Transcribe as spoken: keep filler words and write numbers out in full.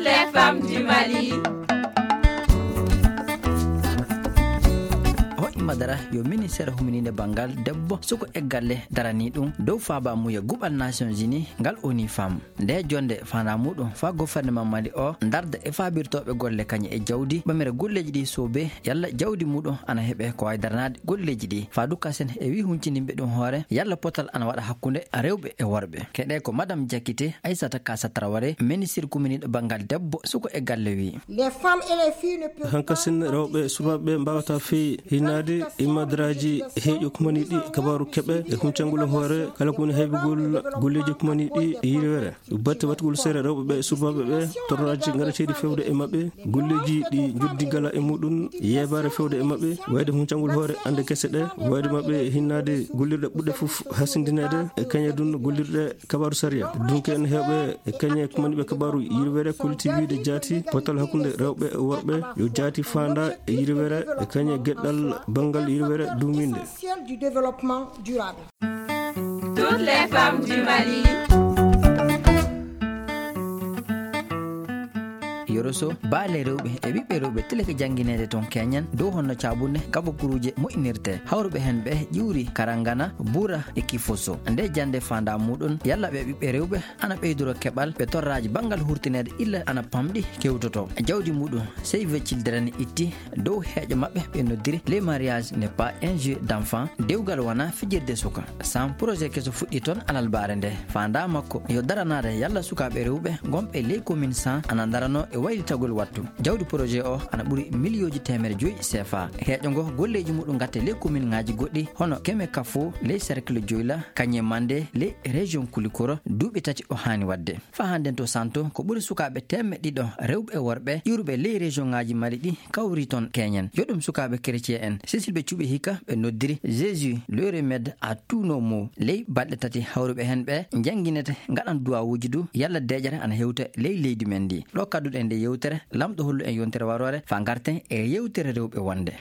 Femmes du Mali. Hoɗi Madara yo ministeere huminiinde banngal debbo, suko e galle daranii ɗum dow faabaamuya guɓal Nations Unies ngal ONU Femmes. Nde jonde faandaa muɗum faa gouvernement Mali o ndarda e faabirtooɓe golle kañe e jawdi ɓamira golleeji ɗi soobee yalla jawdi muɗum ana heɓe ko wayi daranaade golleeji ɗi. Faa dukka sen e wii huncindinɓe ɗum hoore yalla potal ana waɗa hakkunde rewɓe e worɓe. Keɗee ko Madame Diakité Aissata Kassa Traoré, ministre kuminiiɗo banngal debbo, suko e galle wii. Les femmes et les filles ne peuvent Hankasin rewɓe e sukaaɓe mbaawata fii hinnaade e madaraaji heeƴo kumani ɗi kabaaru keɓe e huncangol hoore kala ko woni heɓugol golleeji kumani ɗi e yirwere. Batte waɗugol seere rewɓe ɓe e sukaaɓe ɓe torraaji garateeɗi fewde e maɓɓe, golleeji ɗi njoddi gala e muɗum, yeebaare fewde e maɓɓe, wayde huncangol hoore annde kese ɗe, wayde maɓɓe hinnaade gollirɗe ɓurɗe fof hasindineede e kañe ɗum gollirɗe kabaaru sariya. Dunke en heewɓe e kañe kumani ɓe kabaaru yirwere kolliti wiide jaati potal hakkunde rewɓe e worɓe yo jaati faandaa e yirwere e kañe geɗɗal banngal yirwere duuminde. Essentiel du développement durable. Toutes les femmes du Mali. Yoroso, baale rewɓe e ɓiɓɓe rewɓe tilake janngineede toon keñen dow honno caabunde kabakuruuje moƴƴinirte. Hawruɓe heen ɓe ƴuuri Karangana, Bura e Kifoso. Nde jannde faandaa muɗum, yalla ɓe ɓiɓɓe rewɓe ana ɓeydoro keɓal ɓe torraaji banngal hurtineede illa ana pamɗi kewtoto. Jawdi muɗum, Save Children itti dow heeƴo maɓɓe ɓe noddiri Les mariages n'est pas un jeu d'enfant, dewgal wonaa fijirde suka. Sam projet keso fuɗɗi toon alalbaare nde. Faandaa makko yo daranaade yalla sukaaɓe rewɓe gonɓe ley commune cent ana ndaranoo e waylitagol wattu. Jawdi projet o ana ɓuri miliyooji teemere joyi C F A. Heeƴo ngo golleeji muɗum ngatte ley commune ŋaaji goɗɗi hono Keme Kafo ley cercle Joyla, Kañe Mande ley région Kulikoro duuɓi tati o haani waɗde. Faa hannden to Santo ko ɓuri sukaaɓe teemedde ɗiɗo rewɓe e worɓe ƴuuruɓe ley région ŋaaji Mali ɗi kawri toon keñen. Yo ɗum sukaaɓe chrétien en. Cécile ɓe cuɓi hikka ɓe noddiri Jésus le remède à tous nos maux. Ley balɗe tati hawruɓe heen ɓe njannginete ngaɗan duwawuuji du yalla deeƴere ana hewta ley leydi men ndi. Ɗo kadduɗen nde yewtere, Laamɗo hollu en yontere waroore faa ngarten e yewtere rewɓe wonde.